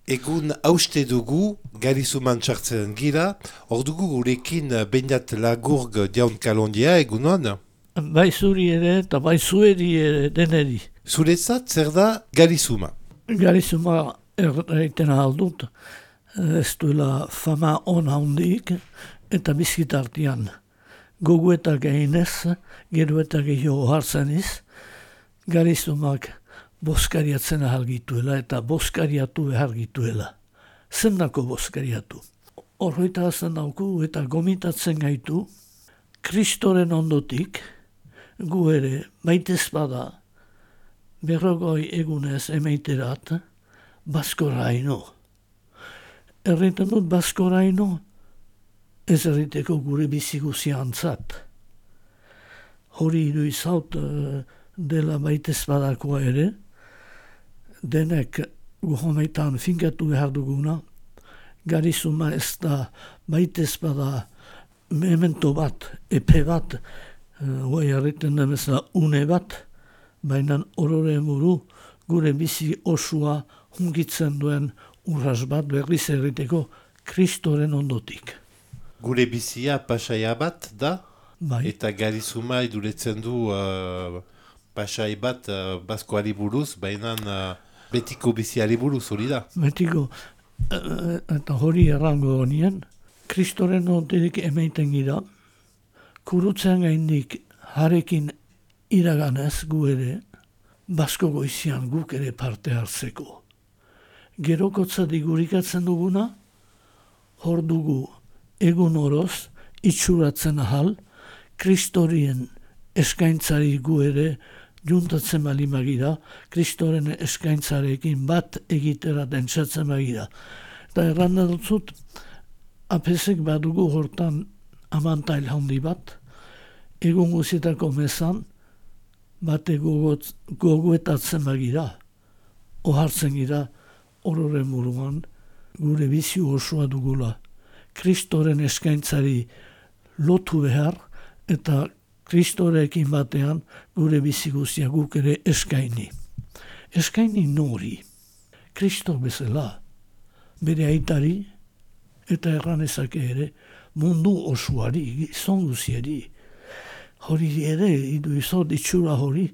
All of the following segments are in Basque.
Egun hauste dugu, Garizuman txartzen gira, hor dugu gurekin behindat Lagurg jaun kalondia, egunon? Bai zuri ere eta bai zueri ere deneri. Zuretzat zer da Garizuma? Garizuma erraiten aldut, ez duela fama on handik eta bizkitartian. Gogu eta gehinez, gero eta gehiago hartzen iz, Garizumak boskariatzen ahalgituela eta boskariatu behargituela. Zendako boskariatu. Horroita hazen dauku eta gomitatzen gaitu, Kristoren ondotik, gu ere, baitez bada, berrogoi egunez emeiterat, baskoraino. Erriten dut baskoraino, ez erriteko gure biziguziantzat. Hori idu izaut dela baitez badakoa ere, denek guhomeitan finkatu behar duguna, Garizuma ez da baitez bada memento bat, epe bat, guai harriten demezela une bat, baina orore muru gure bizi osua hungitzen duen urras bat berriz erriteko Kristoren ondotik. Gure bizia pasaia bat da? Bai. Eta Garizuma iduretzen du pasai bat baskoari buruz, baina betiko biziari buruz hori da. Betiko, eta hori errango honien, Kristoren ondotik emeiten gira, kurutzean gaindik harekin iraganez gu ere, basko goizian guk ere parte hartzeko. Gerokotza digurikatzen duguna, hor dugu egun oroz, itxuratzen ahal, Kristorien eskaintzari gu ere, juntatzen bali magira, Kristoren eskaintzarekin bat egitera dentsatzen magira. Eta erranda dutzut, apesek badugu hortan amantail handi bat, egun guzietako mezan, bate gogoetatzen magira, ohartzen gira, orore muruan, gure bizi osoa dugula. Kristoren eskaintzari lotu behar, eta Kristorekin batean gure bizi guztia guk ere eskaini. Eskaini nori, Kristo bezala, bere aitari, eta erranezake ere, mundu osoari, gizon guziari. Hori ere, idu izot itxura hori,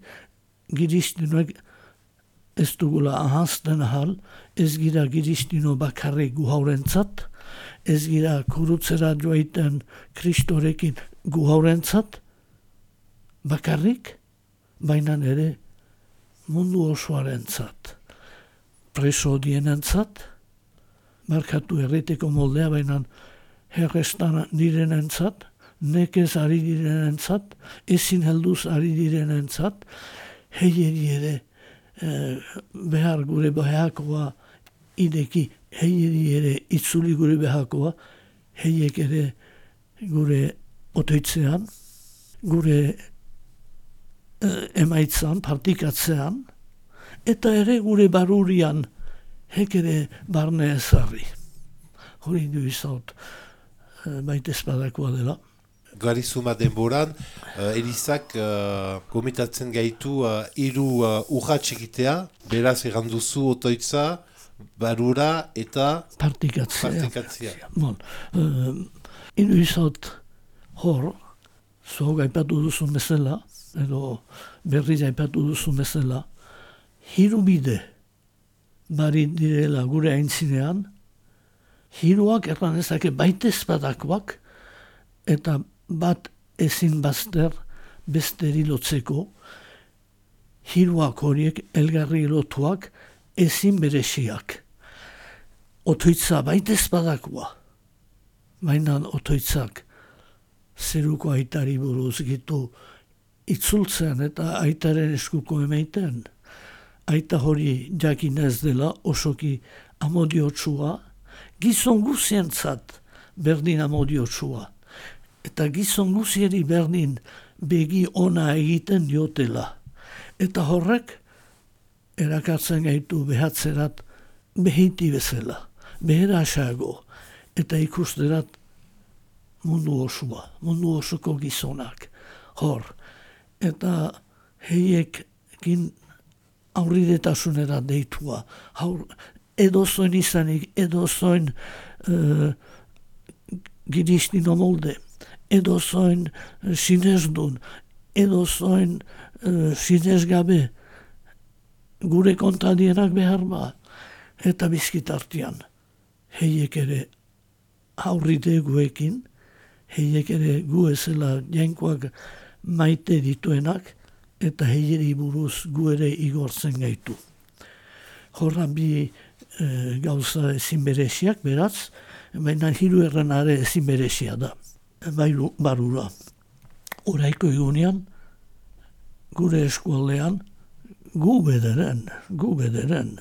giristinoek ez dugula ahazten ahal, ez gira giristino bakarrik gu haurentzat, ez gira kurutzera joaiten Kristorekin gu haurentzat, bakarrik, baina ere mundu osoarentzat, preso dienentzat, markatu erriteko moldea, baina herrestan direnentzat, nekez ari direnentzat, ezin helduz ari direnentzat, heieri ere behar gure behakoa ideki, heieri ere itzuli gure behakoa, heiek ere gure otoitzean, gure emaitzan, partikatzean, eta ere gure barurian hek ere barne ezarri. Hori du izaut baitez badakoa dela. Garizuma denboran, Elizak komitatzen gaitu hiru urrats egitea, beraz erranduzu otoitza, barura eta partikatzea. Bon, hiru izaut hor, zo gaipatu duzun bezala, edo berriz aipatu duzun bezala, hiru bide bari direla gure aintzinean, hiruak erranezake baitez badakoak, eta bat ezin bazter besteri lotzeko, hiruak horiek elgarri lotuak ezin beresiak. Otoitza baitez badakoa, baina otoitzak zeruko aitari buruz gitu itzultzen eta aitaren eskuko emeiten, aita hori jakinez dela osoki amodiotsua, gizon guzientzat berdin amodiotsua, eta gizon guzieri berdin begi ona egiten diotela. Eta horrek erakartzen gaitu behatzerat behiti bezala, beherasago, eta ikusterat mundu osua, mundu osoko gizonak, hor. Eta heiekin aurridetasunera deitua, edozoin izanik, edozoin giristino molde, edozoin sinesdun, edozoin sinesgabe, gure kontadienak behar ba, eta bizkitartian. Heiek ere aurrite guekin, heiek ere gu ezela jainkoak maite dituenak, eta heieri buruz gu ere igortzen gaitu. Horra bi gauza ezin bereziak, beraz, baina hiru erranare ezin berezia da, barura. Oraiko egunean, gure eskualdean, gu bederen,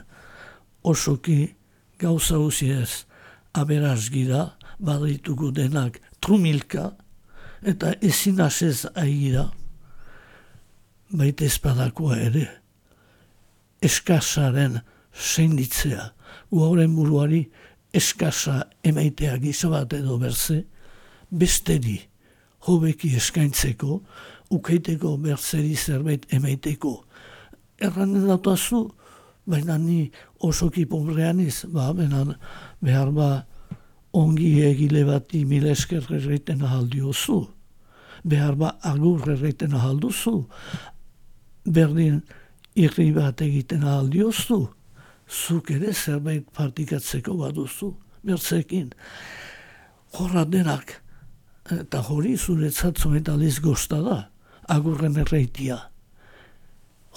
osoki gauza usiez aberaz gira, baditugu denak trumilka, eta ezin asez aigira, baita ezpadakoa ere, eskasaren seinditzea, gu hauren buruari eskasa emaitea gizabat edo berze, besteri hobeki eskaintzeko, ukeiteko berzeri zerbait emaiteko. Erranen datazu, baina ni osoki pobreaniz, benan behar ba ongi egile bati mila esker erreiten ahaldiozu, behar ba agur erreiten ahalduzu, berdin irri bat egiten ahaldiozu, zuk ere zerbait partikatzeko baduzu, bertzekin. Horra denak, eta hori zuretzat zometaliz gozta da, agurren erreitia.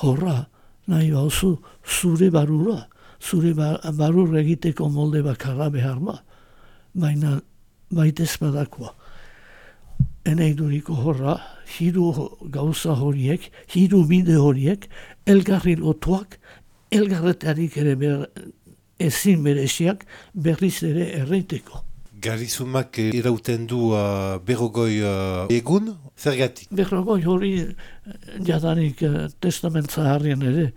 Horra, nahi bauzu, zure barura, zure barur egiteko molde bakarra behar ba, baina baitez badakoa. Eneiduriko horra, hiru gauza horiek, hiru bide horiek, elgarri lotuak, elgarretarik ere ezin bereziak berriz ere erreiteko. Garizumak irauten du berrogoi egun, zergatik? Berrogoi hori jadanik testamentza harrien ere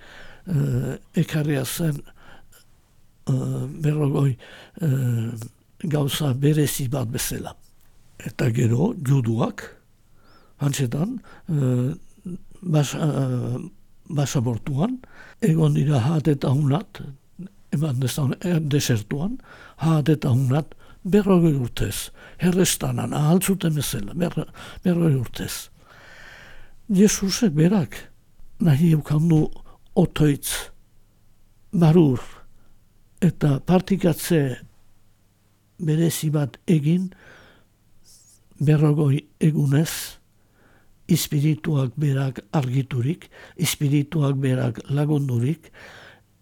ekarria zen berrogoi gauza berezi bat bezala. Eta gero, juduak, hantzetan, basabortuan, egon dira hat eta hunat, eman desertuan, hat eta hunat, berrogei urtez, herrestanan, ahaltzuten bezala, berrogei urtez. Jesusek berak, nahi eukandu otoitz, barur, eta partikatze berezi bat egin, berrogoi egunez, espirituak berak argiturik, espirituak berak lagundurik,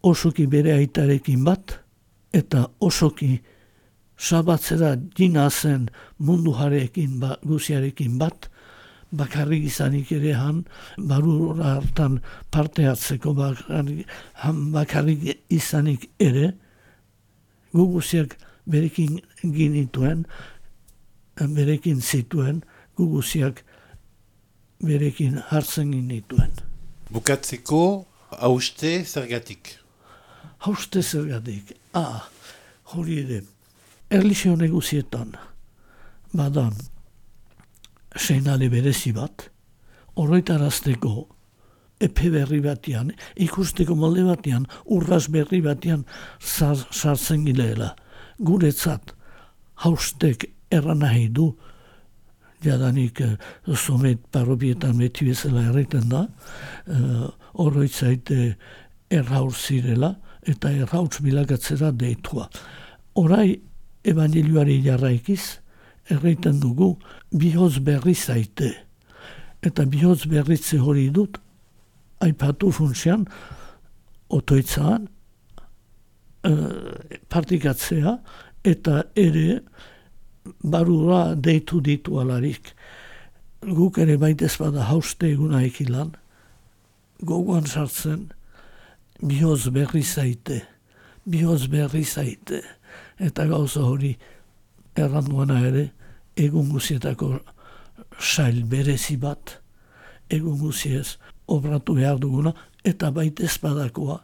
osoki bere aitarekin bat, eta osoki sabatzera jina zen mundu jarekin guziarekin bat, bakarrik izanik ere han, barur hartan parte hartzeko bakarrik izanik ere, gu guziak berekin ginituen, berekin zituen, gu guziak berekin hartzen ginituen. Bukatzeko, hauste zergatik? Hauste zergatik, hori ere, erlijio negozietan, badan, seinale berezi bat, horretarazteko epe berri batean, ikusteko molde batean, urras berri batean sartzen gileela. Guretzat, haustek erran nahi du, jadanik somet parropietan beti bezala erreten da, horretzaite erraur zirela, eta errautz bilakatzera deitua. Orai, evangelioari jarraikiz, erreiten dugu, bihotz berri zaite. Eta bihotz berritze hori dut, aipatu funtsian, otoitzaan, partikatzea, eta ere, barura deitu ditu alarik. Guk ere baitez bada hauste eguna ekilan, gogoan sartzen, bihotz berri zaite, eta gauza hori erranduana ere, egun guzietako sail berezi bat, egun guziez obratu behar duguna, eta baitez badakoa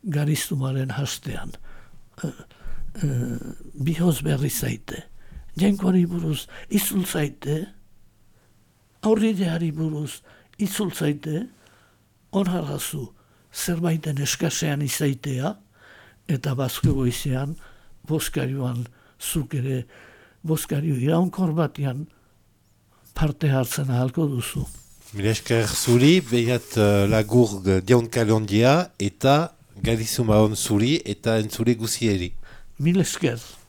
gariztumaren hastean. Bihotz berri zaite, jainkoari buruz itzul zaite, aurrideari buruz itzul zaite, onharrazu zerbaiten eskasean izaitea, eta bazko goizean, bozkarioan zuk ere, bozkario iraunkor batean parte hartzen ahalko duzu. Mila esker zuri, behiat lagur diaunkalondia eta galizuma hon zuri eta entzule guzieri. Mil esker.